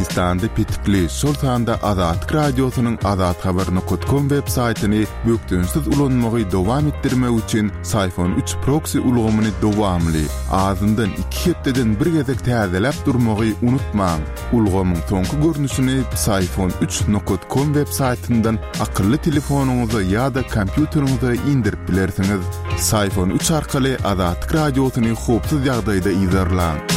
Türkmenistanda petikli, şol sanda Azatlyk Radiosynyň azathabar nokat kom web saýtyny bökdençsiz ulanmagy dowam etdirmek üçin Syfon üç proksi ulgamyny dowamly, azyndan iki hepdeden bir gezek täzeläp durmagy unutmaň. Ulgamyň soňky görnüşini Psiphon üç nokat kom web saýtyndan akylly telefonyňyza ýa-da kompýuteriňize indirip bilersiňiz. Psiphon üç arkaly Azatlyk Radiosyny howpsuz ýagdaýda yzarlaň.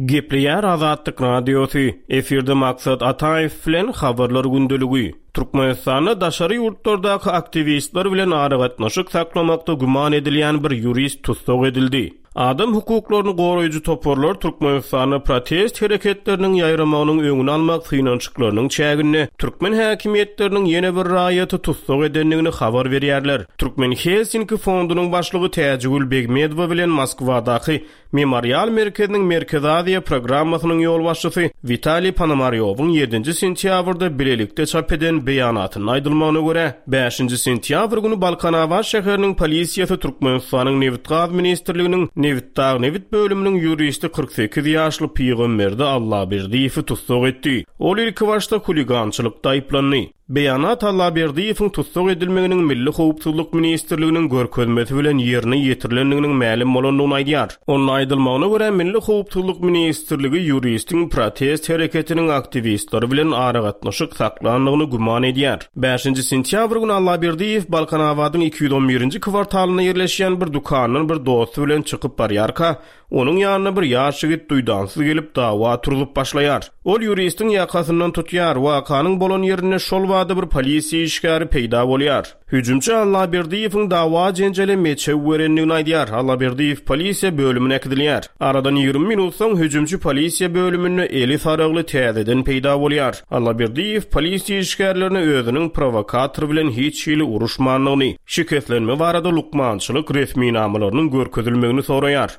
Gepleýär Azatlyk Radiosy, efirde Maksat Ataýew bilen Habarlar gündeligi. Türkmenistanda daşary ýurtlardaky aktiwistler bilen aragatnaşyk saklamakda güman edilýän bir ýurist tussag edildi. Adam hukuklaryny goraýjy toparlar Türkmenistanda protest hereketleriniň ýaýramagynyň öňüni almak synanyşyklarynyň çäginde türkmen häkimiýetleriniň ýene bir raýaty tussag edendigini habar berýärler. Türkmen Helsinki fondunyň başlygy Täjigül Begmedowa bilen Moskwadaky Memorial merkeziniň Merkezi Aziýa programmasynyň ýolbaşçysy Witaliý Ponomarýowyň ýedinji sentýabrda bilelikde çap eden beýanatynda aýdylmagyna görä, bäşinji sentýabr güni Balkanabat şäheriniň polisiýasy Türkmenistanyň Nebitgaz ministrliginiň Nebitdagnebit bölüminiň ýuristi 48 ýaşly Pygamberdi Allaberdiýewi tussag etdi. Ol ilkibaşda huligançylykda aýyplandy. Beýanat Allaberdiýewiň tussag edilmeginiň Milli howpsuzlyk ministrliginiň görkezmesi bilen ýerine ýetirilendiginiň mälim bolandygyny aýdýar. Onda aýdylmagyna görä, Milli howpsuzlyk ministrligi ýuristiň protest hereketiniň aktiwistleri bilen aragatnaşyk saklandygyny güman edýär. Bäşinji sentýabr güni Allaberdiýew Balkanabadyň 211-nji kwartalynda ýerleşýän bir dükandan bir dosty bilen çykyp barýarka, Onuň ýanyna bir ýaş ýigit duýdansyz gelip, dawa turzup başlaýar. Ol ýuristiň ýakasyndan tutýar. Wakanyň bolan ýerinde şol bada bir polisiýa işgäri peýda bolýar. Hüjümçi Allaberdiýewiň dawa-jenjele meçew berendigini aýdýar. Allaberdiýew polisiýa bölümine äkidilýär. Aradan 20 minut soň hüjümçi polisiýa bölüminde eli saragly täzeden peýda bolýar. Allaberdiýew polisiýa işgärlerine özüniň prowokator bilen hiç hili uruşmandygyny, Şikeslenme barada lukmançylyk resminamalarynyň görkezilmegini soraýar.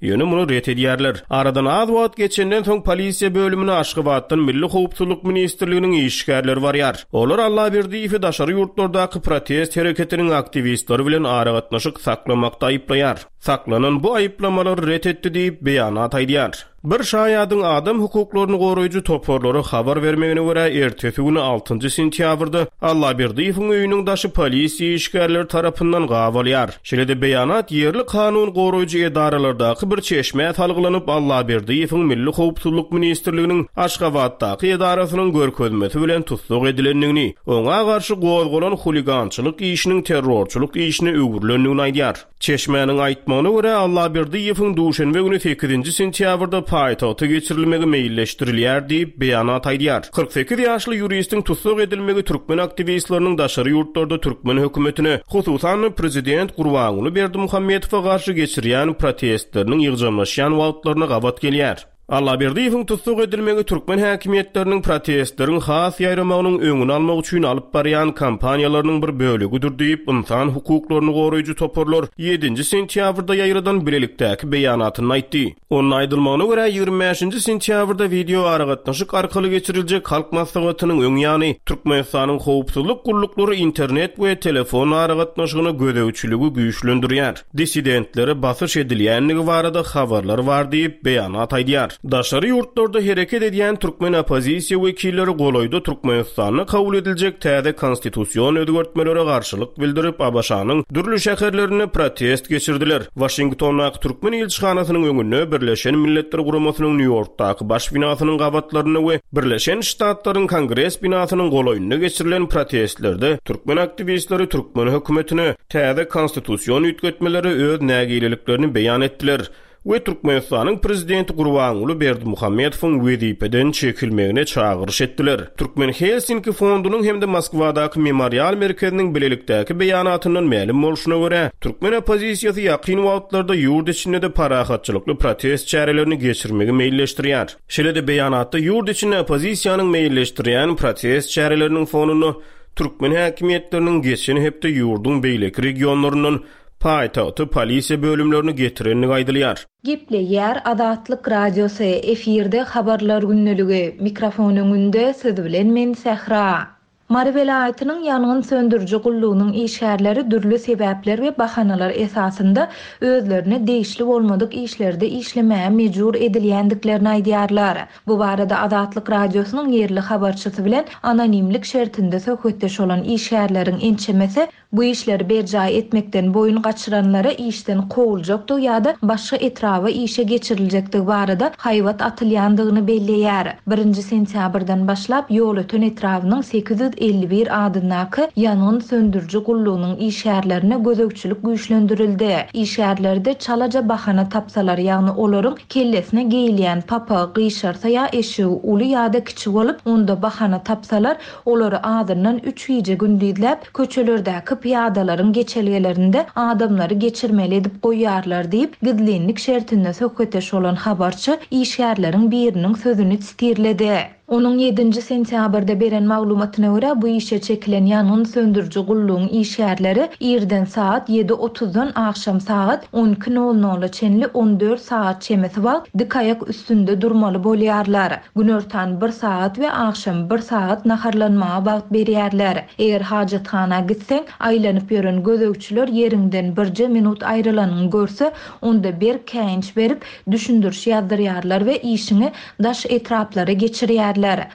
Ýöne muny ret edýärler. Aradan az wagt geçenden soň polisiýa bölümine Aşgabatdan Milli howpsuzlyk ministrliginiň işgärleri barýar. Olar Allaberdiýewi daşary ýurtlardaky protest hereketiniň aktiwistleri bilen aragatnaşyk saklamakda aýyplaýar. Saklanan bu aýyplamalary ret etdi diýip, beýanat aýdýar. Bir şaýadyň adam hukuklaryny goraýjy toparlara habar bermegine görä, ertesi güni altynjy sentýabrda Allaberdiýewiň öýüniň daşy polisiýa işgärleri tarapyndan gabalýar. Şeýle-de beýanat ýerli kanun goraýjy edaralardaky bir çeşmä salgylanyp, Allaberdiýewiň Milli howpsuzlyk ministrliginiň Aşgabatdaky edarasynyň görkezmesi bilen tussag edilendigini, oňa garşy gozgalan huligançylyk işiniň terrorçylyk işine öwrülendigini aýdýar. Çeşmäniň aýtmagyna görä, Allaberdiýewiň duşenbe güni sekizinji sentýabrda paýtagta geçirilmegi meýilleşdirilýär diýip, beýanat aýdýar. 48 ýaşly ýuristiň tussag edilmegi türkmen aktiwistleriniň daşary ýurtlarda türkmen hökümetine, hususan-da prezident Gurbanguly Berdimuhamedowa garşy geçirýän protestleriniň ýygjamlaşýan wagtlaryna gabat gelýär. Allaberdiýewiň tussag edilmegi türkmen häkimiýetleriniň protestleriň has ýaýramagynyň öňüni almak üçin alyp barýan kampaniýalarynyň bir bölegidir diýip, ynsan hukuklaryny goraýjy toparlar ýedinji sentýabrda ýaýradan bilelikdäki beýanatynda aýtdy. Onda aýdylmagyna görä, 25-nji sentýabrda wideoaragatnaşyk arkaly geçiriljek Halk Maslahatynyň öň ýany, Türkmenistanyň howpsuzlyk gulluklary internet we telefon aragatnaşygyna gözegçiligi güýçlendirýär. dissidentlere basyş edilýändigi barada habarlar bar diýip, beýanat aýdýar. Daşary ýurtlarda hereket edýän türkmen oppozisiýa wekilleri golaýda Türkmenistanda kabul ediljek täze konstitusion özgertmelere garşylyk bildirip, ABŞ-nyň dürli şäherlerinde protest geçirdiler. Waşingtondaky türkmen ilçihanasynyň öňünde, Birleşen Milletler Guramasynyň Nýu-Ýorkdaky baş binasynyň gabatlarynda we Birleşen Ştatlaryň Kongres binasynyň golaýynda geçirilen protestlerde türkmen aktiwistleri türkmen hökümetine, täze konstitusion üýtgetmelere öz nägileliklerini beýan etdiler we Türkmenistanyň Prezidenti Gurbanguly Berdimuhamedowyň wezipeden çekilmegine çagyryş etdiler. Türkmen Helsinki fondunyň hem-de Moskwadaky Memorial merkeziniň bilelikdäki beýanatyndan mälim bolşuna görä, türkmen oppozisiýasy ýakyn wagtlarda ýurt içinde-de parahatçylykly protest çärelerini geçirmegi meýilleşdirýär. Şeýle-de beýanatda ýurt içinde oppozisiýanyň meýilleşdirýän protest çäreleriniň fonunda Türkmen häkimiýetleriniň geçen hepde ýurduň beýleki regionlaryndan paýtagta polisiýa bölümlerini getirendigi aýdylýar. Gepleýär Azatlyk Radiosy, efirde Habarlar gündeligi, mikrofon öňünde siz bilen men Sähra. Mary welaýatynyň ýangyn söndüriji gullugynyň işgärleri dürli sebäpler we bahanalar esasynda özlerine degişli bolmadyk işlerde işlemäge mejbur edilýändiklerini aýdýarlar. Bu barada Azatlyk Radiosynyň ýerli habarçysy bilen anonimlik şertinde söhbetdeş bolan işgärleriň ençemesi Bu işleri berjaý etmekden boýun gaçyranlara işden kowuljakdygy ýa-da başga etraba işe geçiriljekdigi barada haýbat atylýandygyny belleýär. Birinji sentýabrdan başlap Ýolöten etrabynyň 851 adyndaky ýangyn söndüriji gullugynyň işgärlerine gözegçilik güýçlendirildi. Işgärlerde çalaja bahana tapsalar, ýagny olaryň kellesine geýilýän papagy gyşarsa ýa eşigi uly ýa-da kiçi bolup, onda bahana tapsalar, Olary azyndan üç gije-gündizläp, köçelerdäki pyýadalaryň geçelgelerinde adamlary geçirmeli edip goýýarlar diýip, gizlinlik şertinde söhbetdeş bolan habarçy işgärleriň biriniň sözüni sitirledi. Onuň ýedinji sentýabrda beren maglumatyna görä, bu işe çekilen ýangyn söndüriji gullugyň işgärleri irden sagat ýedi otuzdan agşam sagat on iki nol nola çenli on dört sagat çemesi wagt dik aýak üstünde durmaly bolýarlar. Günortan bir sagat we agşam bir sagat naharlanmaga wagt berýärler. Eger hajathana gitseň, aýlanyp ýören gözegçiler ýeriňden birje minut aýrylanyňy görse, onda berk käýinç berip, düşündiriş ýazdyrýarlar we işiňi daş etraplara geçirýärler.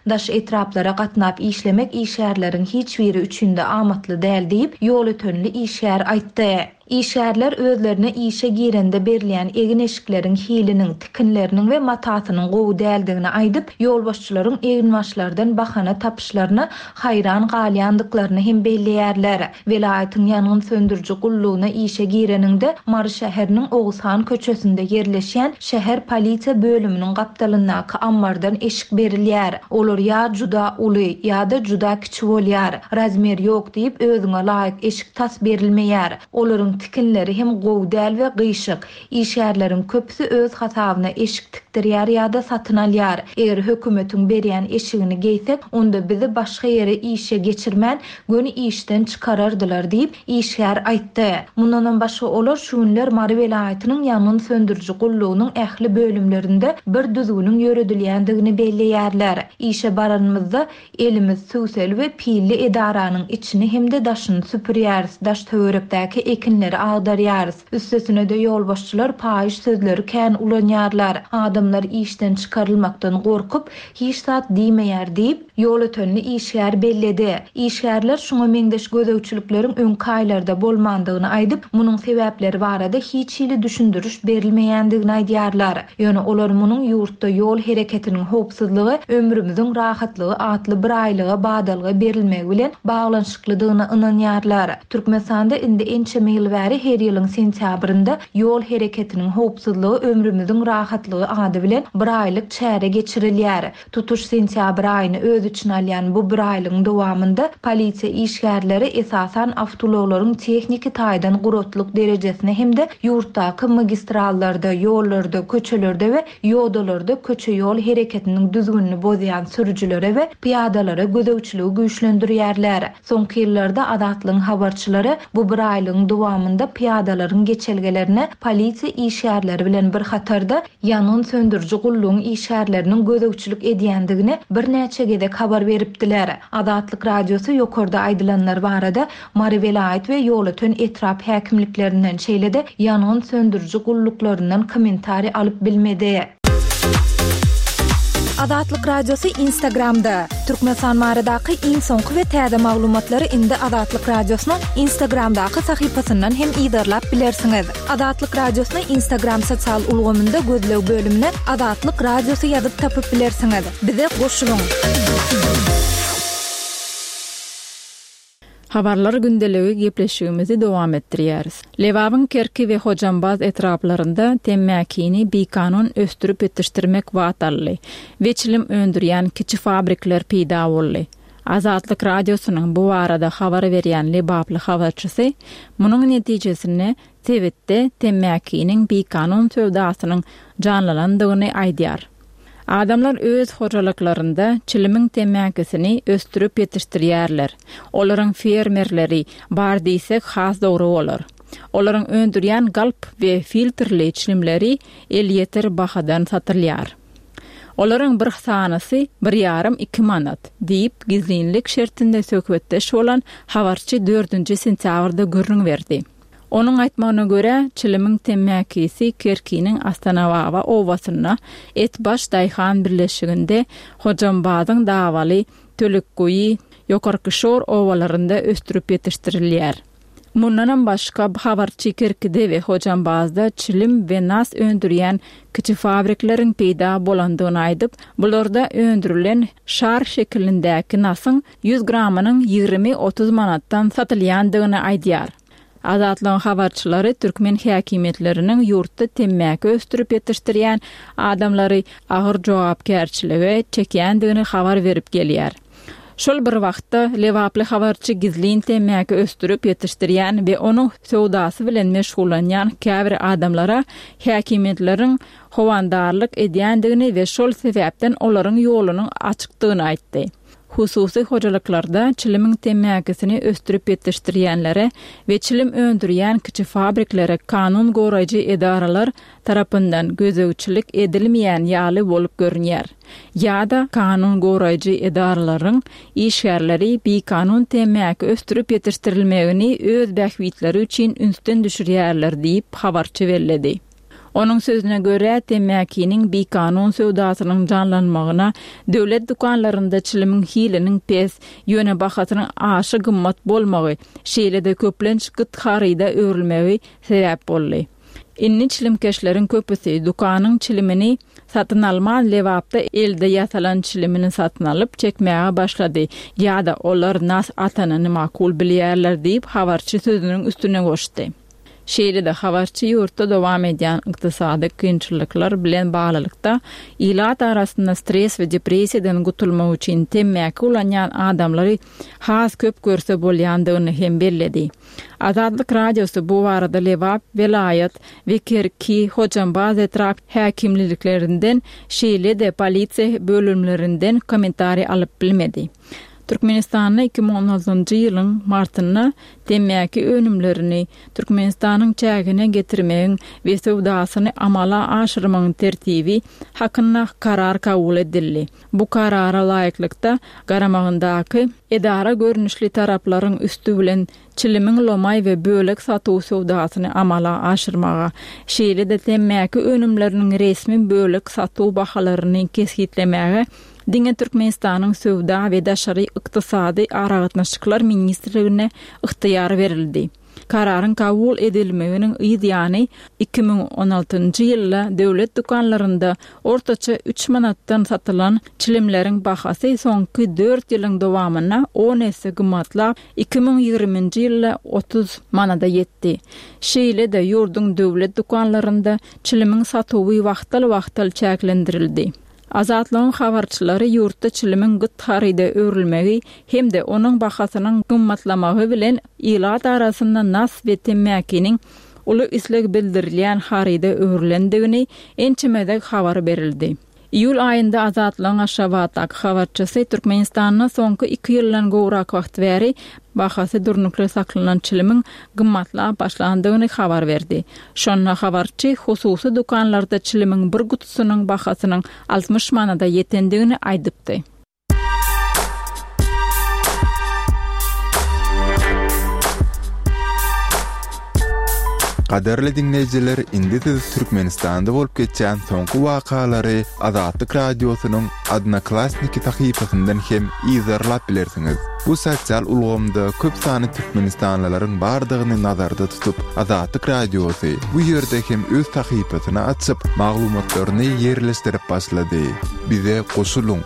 Daş etraplara gatnap işlemek işgärleriň hiç biri üçin-de amatly däl diýip, ýolötenli işgär aýtdy. Işgärler özlerine işe girende berilýän egin-eşikleriň hiliniň, tikinleriniň we matasynyň gowy däldigini aýdyp, ýolbaşçylaryň eginbaşlardan bahana tapyşlaryna haýran galýandyklaryny hem belleýärler. Welaýatyň ýangyn söndüriji gullugyna işe gireniňde Mary şäheriniň Oguzhan köçesinde ýerleşýän şäher polisiýa bölüminiň gapdalyndaky ammardan eşik berilýär. Olar ýa juda uly, ýa-da juda kiçi bolýar. Razmer ýok diýip, özüňe laýyk eşik tas berilmeýär. Olaryň tikinleri hem gowy däl we gyşyk. Işgärleriň köpüsi öz hasabyna eşik tikdirýär ýa-da satyn alýar. Eger hökümetiň berýän eşigini geýsek, onda bizi başga ýere işe geçirmän, göni işden çykarardylar diýip, işgär aýtdy. Mundanam başga olar şu günler Mary welaýatynyň ýangyn söndüriji gullugynyň ähli bölümlerinde bir düzgüniň ýöredilýändigini belleýärler. Işe baranymyzda, Elimiz süwseli we pilli edaranyň içini hem-de daşyny süpürýäris, daş-töwerekdäki ekinleri agdarýarys. Üstesine-de ýolbaşçylar paýyş sözleri kän ulanýarlar. Adamlar işden çykarylmakdan gorkup, hiç zat diýmeýär diýip, ýolötenli işgär belledi. Işgärler şuňa meňzeş gözegçilikleriň öňki aýlarda bolmandygyny aýdyp, munuň sebäpleri barada hiç hili düşündiriş berilmeýändigini aýdýarlar. Ýöne olar munuň ýurtda ýol hereketiniň howpsuzlygy, ömrümiziň rahatlygy atly biraýlyga badalga berilmegi bilen baglanyşyklydygyna ynanýarlar. Türkmenistanda indi ençeme ýyl bäri her ýylyň sentýabrynda Ýol hereketiniň howpsuzlygy, ömrümiziň rahatlygy ady bilen biraýlyk çäre geçirilýär. Tutuş sentýabr aýyny öz içine alýan bu biraýlygyň dowamynda polisiýa işgärleri esasan awtoulaglaryň tehniki taýdan guratlyk derejesine hem-de ýurtdaky magistrallarda, ýollarda, köçelerde we ýodalarda köçe-ýol hereketiniň düzgünini bozýan sürüjilere we pyýadalara gözegçiligi güýçlendirýärler. Soňky ýyllarda Azatlygyň habarçylary bu biraýlygyň dowamynda pyýadalaryň geçelgelerine polisiýa işgärleri bilen bir hatarda ýangyn söndüriji gullugyň işgärleriniň gözegçilik edýändigini birnäçe gezek habar beripdiler. Azatlyk Radiosy ýokarda aýdylanlar barada Mary welaýat we Ýolöten etrap häkimliklerinden, şeýle-de ýangyn söndüriji gulluklaryndan kommentariý alyp bilmedi. Azatlyk Radiosy Instagramda, Türkmenistan baradaky iň soňky we täze maglumatlary indi Azatlyk Radiosynyň Instagramdaky sahypasyndan hem yzarlap bilersiňiz. Azatlyk Radiosyny Instagram sosial ulgamynda gözleg bölümine Azatlyk Radiosy ýazyp tapyp bilersiňiz. Bize goşulyň! Habarlar gündeligi gepleşigimizi dowam etdirýäris. Lebabyň Kerki we Hojambaz etraplarynda temmäkini bikanun ösdürip ýetişdirmek bat aldy we çilim öndürýän kiçi fabrikler peýda boldy. Azatlyk Radiosynyň bu barada habar berýän lebaply habarçysy munuň netijesinde sebitde temmäkiniň bikanun söwdasynyň janlanandygyny aýdýar. Adamlar öz hojalyklarynda çilimiň temmäkisini ösdürip ýetişdirýärler. Olaryň fermerleri bar diýsek has dogry bolar. Olaryň öndürýän galp we filtrli çilimleri elýeter bahadan satylýar. Olaryň bir sanysy bir ýarym, iki manat, diýip, gizlinlik şertinde söhbetdeş bolan habarçy dördünji sentýabrda gürrüň berdi. Onuň aýtmagyna görä, çilimiň temmäkisi Kerkiniň Astanababa obasynda, Etbaş daýhan birleşiginde, Hojambazyň Dawaly, Tölekguýy, Ýokarkyşor obalarynda ösdürip ýetişdirilýär. Mundanam başga, habarçy Kerkide we Hojambazda çilim we nas öndürýän kiçi fabrikleriň peýda bolandygyny aýdyp, bularda öndürilen şar şekilindäki nasyň 100 gramynyň 20-30 manatdan satylýandygyny aýdýar. Azatlygyň habarçylary türkmen häkimiýetleriniň ýurtda temmäki ösdürip ýetişdirýän adamlary agyr jogapkärçilige çekýändigini habar berip gelýär. Şol bir wagtda, lebaply habarçy gizlin temmäki ösdürip ýetişdirýän we onuň söwdasy bilen meşgullanýan käbir adamlara häkimiýetleriň howandarlyk edýändigini we şol sebäpden olaryň ýolunyň açykdygyny aýtdy. Hususy hojalyklarda çilimiň temmäkisini ösdürip ýetişdirýänlere we çilim öndürýän kiçi fabriklere kanun goraýjy edaralar tarapyndan gözegçilik edilmeýän ýaly bolup görünýär. Ýa-da kanun goraýjy edaralaryň işgärleri bikanun temmäki ösdürip ýetişdirilmegini öz bähbitleri üçin ünsden düşürýärler diýip, habarçy belledi. Onuň sözüne görä, temmäkiniň bikanun söwdasynyň janlanmagyna döwlet dükanlarynda çilimiň hiliniň pes, ýöne bahasynyň aşa gymmat bolmagy, şeýle-de köplenç gyt haryda öwrülmegi sebäp boldy. Indi çilimkeşleriň köpüsi dükanyň çilimini satyn alman, Lebapda elde ýasalan çilimini satyn alyp, çekmäge başlady ýa-da olar nas atanyny makul bilýärler diýip, habarçy sözüniň üstüne goşdy. Şeýle-de, habarçy ýurtda dowam edýän ykdysady kynçylyklar bilen baglylykda, ilat arasynda stres we depressiýadan gutulmak üçin temmäki ulanýan adamlary has köp görse bolýandygyny hem belledi. Azatlyk Radiosy bu barada Lebap welaýat we Kerki, Hojambaz etrap häkimliliklerinden, şeýle-de polisiýa bölümlerinden kommentariý alyp bilmedi. Türkmenistanda 2016-njy ýylyň martynda temmäki önümlerini Türkmenistanyň çägine getirmegiň we söwdasyny amala aşyrmagyň tertibi hakynda Karar kabul edildi. Bu Karara laýyklykda, garamagyndaky edara görnüşli taraplaryň üsti bilen çilimiň lomaý we bölek satuw söwdasyny amala aşyrmaga, şeýle-de temmäki önümleriniň resmi bölek satuw bahalaryny kesgitlemäge diňe Türkmenistanyň Söwda we daşary ykdysady aragatnaşyklar ministrligine ygtyýar berildi. Kararyň kabul edilmeginiň yz ýany, 2016-njy ýylda döwlet dükanlarynda ortaça üç manatdan satylan çilimleriň bahasy soňky dört ýylyň dowamynda on esse gymmatlap, 2020-nji ýylda 30 manada ýetdi. Şeýle-de, ýurduň döwlet dükanlarynda çilimiň satuwy wagtal-wagtal çäklendirildi. Azatlygyň habarçylary ýurtda çilimiň gyt haryda öwrülmegi hem-de onuň bahasynyň gymmatlamagy bilen ilat arasynda nas we temmäkiniň uly isleg bildirilýän haryda öwrülendigini ençeme gezek habar berildi. Iýul aýynda Azatlygyň Aşgabatdaky habarçysy Türkmenistanda soňky iki ýyldan gowrak wagt bäri bahasy durnukly saklanan çilimiň gymmatlap başlandygyny habar berdi. Şonda habarçy hususy dükanlarda çilimiň bir gutusynyň bahasynyň 60 manada ýetendigini aýdypdy. Gadyrly diňleýjiler, indi siz Türkmenistanda bolup geçýän soňky wakalary Azatlyk Radiosynyň Odnoklassniki sahypasyndan hem yzarlap bilersiňiz. Bu sosial ulgamda köp sanly türkmenistanlylaryň bardygyny nazarda tutup, Azatlyk Radiosy bu ýerde hem öz sahypasyny açyp, maglumatlaryny ýerleşdirip başlady. Bize goşulyň!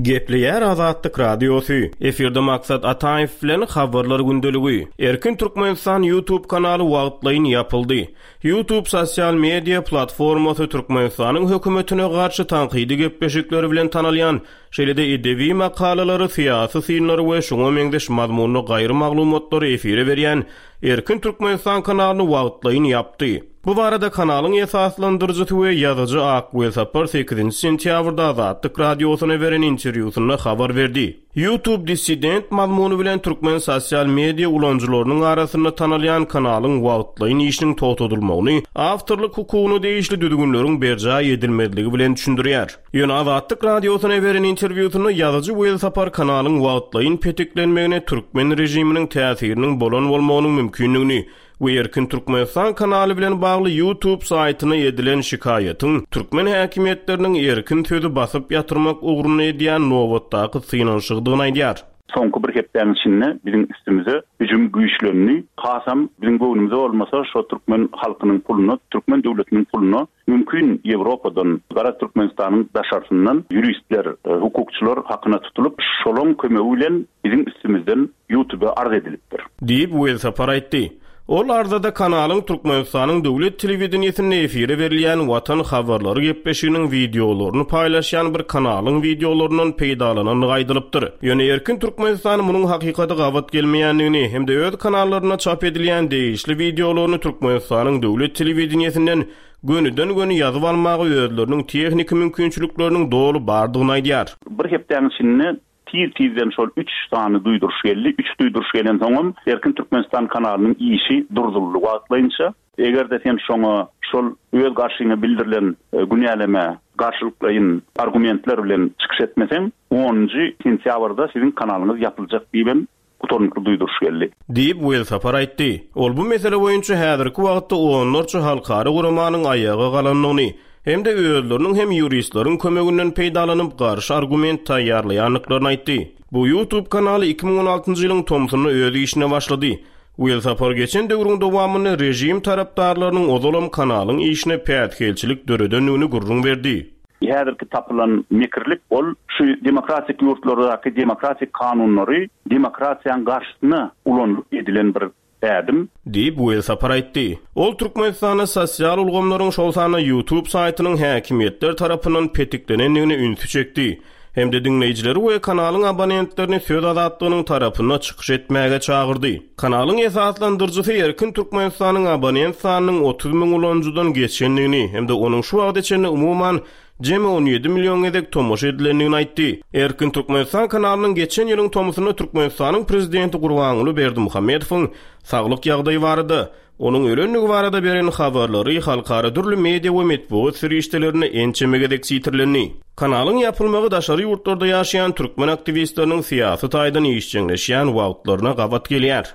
Gepleýär Azatlyk Radiosy, efirde Maksat Ataýew bilen Habarlar gündeligi. Erkin Türkmenistan YouTube kanaly wagtlaýyn ýapyldy. YouTube sosial media platformasy Türkmenistanyň hökümetine garşy tankydy gepleşikleri bilen tanalýan, şeýle-de edebi makalalary, syýasy synlary we şuňa meňzeş mazmunly gaýry maglumatlary efire berýän Erkin Türkmenistan kanalyny wagtlaýyn ýapdy. Bu barada kanalyň esaslandyryjysy we ýazyjy Ak Welsapar sekizinji sentýabrda Azatlyk Radiosyna beren interwýusynda habar berdi. YouTube dissident mazmuny bilen türkmen sosial media ulanyjylarynyň arasynda tanalýan kanalyň wagtlaýyn işiniň togtadylmagyny awtorlyk hukugyna degişli düzgünleriň berjaý edilmezligi bilen düşündirýär. Ýöne Azatlyk Radiosyna beren interwýusynda ýazyjy Welsapar kanalyň wagtlaýyn petiklenmegine türkmen režiminiň täsiriniň bolan bolmagynyň mümkindigini we Erkin Türkmenistan kanaly bilen bagly YouTube saýtyna edilen şikaýatyň türkmen häkimiýetleriniň erkin sözi basyp ýatyrmak ugrunda edýän nobatdaky synanyşygydygyny aýdýar. Soňky bir hepdäniň içinde biziň üstümize hüjüm güýçlendi. Hasam biziň göwnümize bolmasa şo türkmen halkynyň puluna, türkmen döwletiniň puluna mümkin Ýewropadan, garaz Türkmenistanyň daşarsyndan ýuristler, hukukçylar hakyna tutulyp, şolaň kömegi bilen biziň üstümizden Ýutube arz edilipdir. Diýip, Welsapar aýtdy. Ol arzada kanalyň Türkmenistanyň döwlet telewideniýesinde efire berilýän Watan habarlary gepleşiginiň wideolaryny paýlaşýan bir kanalyň wideolaryndan peýdalanandygy aýdylypdyr. Ýöne Erkin Türkmenistan munuň hakykata gabat gelmeýändigini hem-de öz kanallarynda çap edilýän degişli wideolaryny Türkmenistanyň döwlet telewideniýesinden gönüden-göni ýazyp almaga özleriniň tehniki mümkinçilikleriniň doly bardygyny aýdýar. Bir hepdäniň içinde Tiz-tizden şol üç sany duýduryş geldi. Üç duýduryş gelensoňam Erkin Türkmenistan kanalynyň işi durduryldy wagtlaýynça. Eger-de sen şoňa şol öz garşyňa bildirilen günälemä garşylyklaýyn argumentler bilen çykyş etmeseň, onunjy sentýabrda siziň kanalyňyz ýapyljak diýibem gutarnykly duýduryş geldi. Diýip, Welsapar aýtdy. Ol bu mesele boýunça häzirki wagtda onlarça halkara guramanyň aýaga galandygyny hem-de özleriniň hem ýuristleriň kömeginden peýdalanyp garşy argument taýýarlaýandyklaryny aýtdy. Bu YouTube kanaly 2016-njy ýylyň tomsunda öz işine başlady. Welsapar geçen döwrüň dowamynda režim tarapdarlarynyň ozalam kanalyň işine päsgelçilik döredendigini gürrüň berdi. Häzirki tapylan mekirlik ol şu demokratik ýurtlardaky demokratik kanunlary demokratiýaň garşysyna ulanylyp edilen bir ädim. Diýip, Welsapar aýtdy. Ol Türkmenistanda sosial ulgamlaryň, şol sanda YouTube saýtynyň häkimiýetler tarapyndan petiklenendigine ünsi çekdi hem-de diňleýjileri we kanalyň abonentlerini söz azatlygynyň tarapynda çykyş etmäge çagyrdy. Kanalyň esaslandyryjysy Erkin Türkmenistanyň abonent sanynyň 30 müň ulanyjydan geçendigini hem-de onuň şu wagta çenli umuman jemi 17 million gezek tomaşa edilendigini aýtdy. Erkin Türkmenistan kanalynyň geçen ýylyň tomusynda Türkmenistanyň Prezidenti Gurbanguly Berdimuhamedowyň saglyk ýagdaýy barada Onuň ölendigi barada beren habarlary halkara dürli media we metbugat serişdelerinde ençeme gezek sitirlendi. Kanalyň ýapylmagy daşary ýurtlarda ýaşaýan türkmen aktiwistleriniň syýasy taýdan işjeňleşýän wagtlaryna gabat gelýär.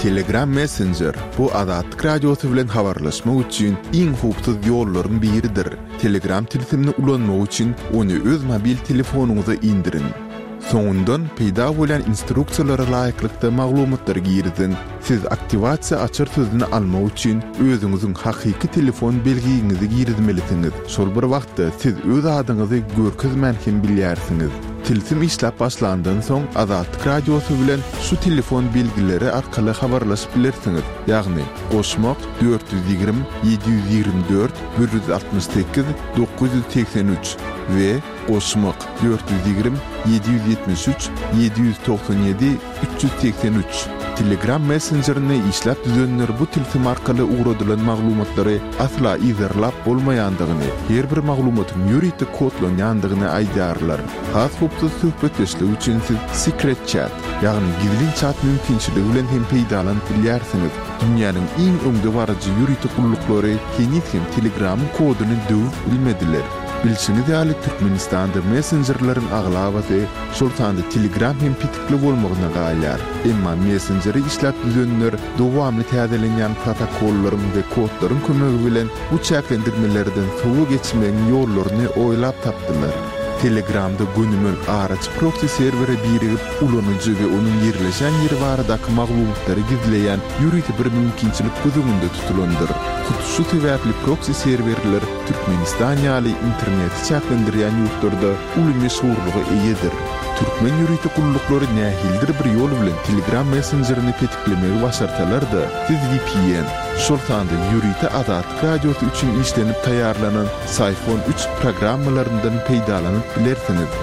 Telegram Messenger, bu Azatlyk Radiosy bilen habarlaşmak üçin iň howpsuz ýollaryň biridir. Telegram tilsimini ulanmak üçin ony öz mobil telefonyňyza indiriň. Soňundan peýda bolýan instruksiýalara laýyklykda maglumatlary giriziň. Siz aktiwasiýa açar sözüni almak üçin özüňiziň hakyky telefon belgiňizi girizmelisiňiz. Şol bir wagtda siz öz adyňyzy görkezmän hem bilýärsiňiz. Tilsim işläp başlandan soň Azatlyk Radiosy bilen şu telefon belgileri arkaly habarlaşyp bilersiňiz, ýagny, goşmak, 420 724 168 983 we Goşmak, 420, 773, 797, 383. Telegram messenjerini işläp düzenler bu tilsim arkaly ugradylan maglumatlary asla yzarlap bolmaýandygyny, her bir maglumatyň ýörite kodlanýandygyny aýdýarlar. Has howpsuz söhbetdeşlik üçin siz Secret Chat, ýagny gizlin çat mümkinçiligi bilen hem peýdalanyp bilýärsiňiz. Dünýäniň iň öňdebaryjy ýörite gulluklary heniz hem Telegramyň koduny döwüp bilmediler. Bilşiňiz ýaly, Türkmenistanda messenjerleriň aglabasy, şol sanda Telegram hem petikli bolmagyna galýar. Emma messenjeri işläp düzenler dowamly täzelenýän protokollaryň we kodlaryň kömegi bilen bu çäklendirmelerden sowa geçmegiň ýollaryny oýlap tapdylar. Telegramda gönümel araçy proksi serwere birigip, ulanyjy we onuň ýerleşen ýeri baradaky maglumatlary gizleýän ýörite bir mümkinçilik göz öňünde tutulandyr. Hut şu sebäpli proksi serwerler Türkmenistan ýaly interneti çäklendirýän ýurtlarda uly meşhurlyga eýedir. Türkmen ýörite gulluklary nähilidir bir ýol bilen Telegram messenjerini petiklemegi başarsalar-da, siz vpn, şol sanda ýörite Azatlyk Radiosy üçin işlenip taýýarlanan Syphon üç programmalaryndan peýdalanyp bilersiňiz.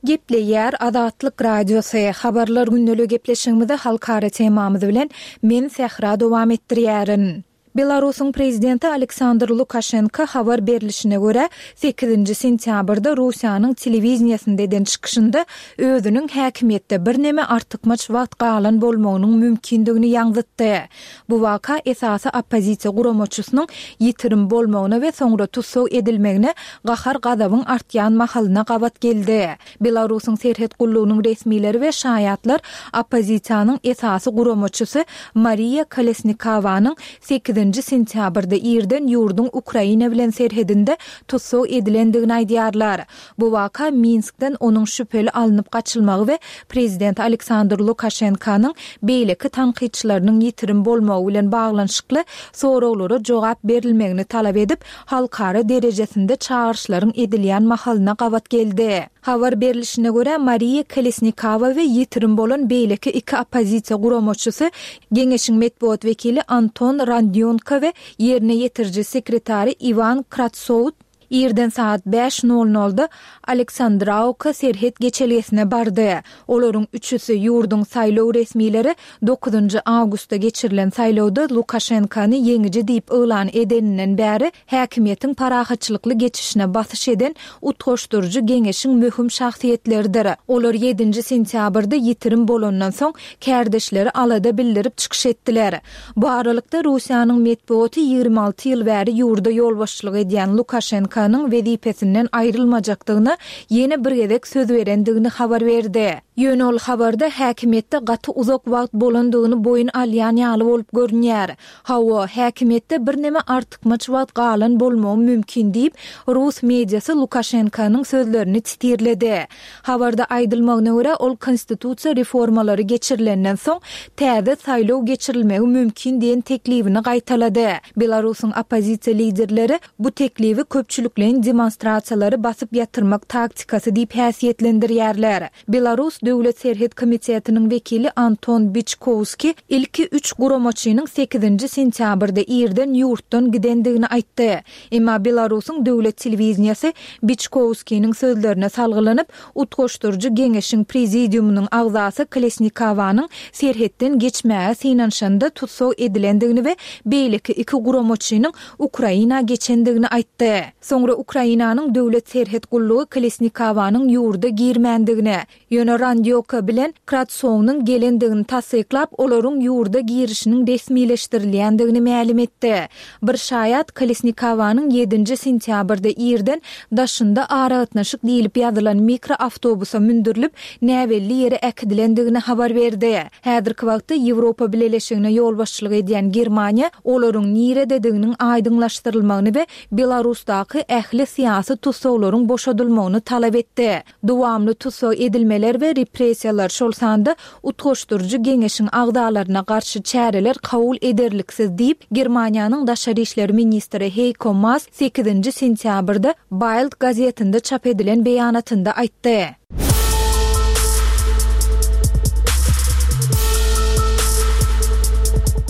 Gepleýär Azatlyk Radiosy, Habarlar gündeligi gepleşigimizi halkara temamyz bilen men Sähra dowam etdirýärin. Belarusyň prezidenti Aleksandr Lukaşenko, habar berlişine görä, sekizinji sentýabrda Russiýanyň telewideniýesinde eden çykyşynda özüniň häkimiýetde birneme artykmaç wagt galan bolmagynyň mümkindigini ýaňzytdy. Bu waka esasy oppozisiýa guramaçysynyň ýitirim bolmagyna we soňra tussag edilmegine gahar-gazabyň artýan mahalyna gabat geldi. Belarusyň serhet gullugynyň resmileri we şaýatlar oppozisiýanyň esasy guramaçysy Mariýa Kolesnikowanyň sekizinji sentýabrda irden ýurduň Ukraina bilen serhedinde tussag edilendigini aýdýarlar. Bu waka Minskden onuň şübheli alnyp gaçylmagy we prezident Aleksandr Lukaşenkanyň beýleki tankytçylarynyň ýitirim bolmagy bilen baglanyşykly soraglara jogap berilmegini talap edip, halkara derejesinde çagyryşlaryň edilýän mahalyna gabat geldi. Habar berlişine görä, Mariýa Kolesnikowa we ýitirim bolan beýleki iki oppozisiýa guramaçysy, Geňeşiň metbugat wekili Anton Randýonko we ýerine ýetiriji sekretary Iwan Kratsowt, irden sagat bäş nol nolda Aleksandrawka serhet geçelgesine bardy. Olaryň üçüsi, ýurduň saýlaw resmileri dokuzynjy awgustda geçirilen saýlawda Lukaşenkony ýeňiji diýip yglan edeninden bäri häkimiýetiň parahatçylykly geçişine basyş eden Utgaşdyryjy geňeşiň möhüm şahsyýetleridir. Olar ýedinji sentýabrda ýitirim bolandan soň kärdeşleri alada bildirip çykyş etdiler. Bu aralykda, Russiýanyň metbugaty 26 ýyl bäri ýurda ýolbaşçylyk edýän Lukaşenkonyň wezipesinden aýrylmajakdygyna ýene bir gezek söz berendigini habar berdi. Ýöne ol habarda häkimiýetde gaty uzak wagt bolandygyny boýun alýan ýaly bolup görünýär. Hawa, häkimiýetde birneme artykmaç wagt galan bolmagy mümkin diýip, rus mediasy Lukaşenkonyň sözlerini titirledi. Habarda aýdylmagyna görä, ol konstitusiýa reformalary geçirilenden soň, täze saýlaw geçirilmegi mümkin diýen teklibini gaýtalady. Belarusyň oppozisiýa liderleri bu teklibi köpçülikleýin demonstrasiýalary basyp ýatyrmak taktikasy diýip häsiýetlendirýärler. Belarus Döwlet serhet komitetiniň wekili Anton Biçkowskiý ilki üç guramaçynyň sekizinji sentýabrda irden ýurtdan gidendigini aýtdy. Emma Belarusyň döwlet telewideniýesi Biçkowskiniň sözlerine salgylanyp, Utgaşdyryjy geňeşiň prezidiumynyň agzasy Kolesnikowanyň serhetden geçmäge synanyşanda tussag edilendigini we beýleki iki guramaçynyň Ukraina geçendigini aýtdy. Soňra Ukrainanyň Döwlet serhet gullugy Kolesnikowanyň ýurda girmändigini, Ýöne Randýoka bilen Kratsownyň gelendigini tassyklap, olaryň ýurda girişiniň resmileşdirilýändigini mälim etdi. Bir şaýat Kolesnikowanyň ýedinji sentýabrda irden daşynda aragatnaşyk diýlip ýazylan mikroawtobusa mündürilip, näbelli ýere äkidilendigini habar berdi. Häzirki wagtda Ýewropa Bileleşigine ýolbaşçylyk edýän Germaniýa olaryň niredediginiň aýdyňlaşdyrylmagyny we Belarusdaky ähli syýasy tussaglaryň boşadylmagyny talap etdi. Dowamly tussag edilmeler we repressiýalar, şol sanda Utgaşdyryjy geňeşiň agzalaryna garşy çäreler kabul ederliksiz diýip, Germaniýanyň daşary işler ministri Heýko Maas sekizinji sentýabrda Bild gazetinde çap edilen beýanatynda aýtdy.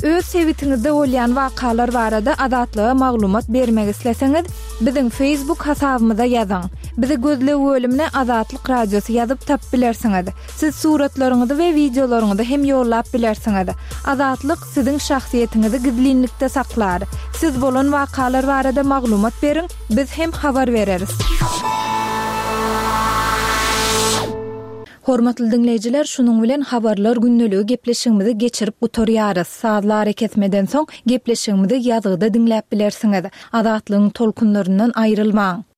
Öz sebitiňizde bolýan wakalar barada Azatlyga maglumat bermek isleseňiz, Biziň Facebook hasabymyza ýazyň. Bizi gözleg bölümine Azatlyk Radiosy ýazyp tapyp bilersiňiz. Siz suratlaryňyzy we wideolaryňyzy hem ýollap bilersiňiz. Azatlyk siziň şahsyýetiňizi gizlinlikde saklar. Siz bolan wakalar barada maglumat beriň, biz hem habar bereris. Hormatly diňleýjiler, şunuň bilen Habarlar gündeligi gepleşigimizi geçirip gutarýarys. Sazly arakesmeden soň gepleşigimizi ýazgyda diňläp bilersiňiz. Azatlygyň tolkunlaryndan aýrylmaň!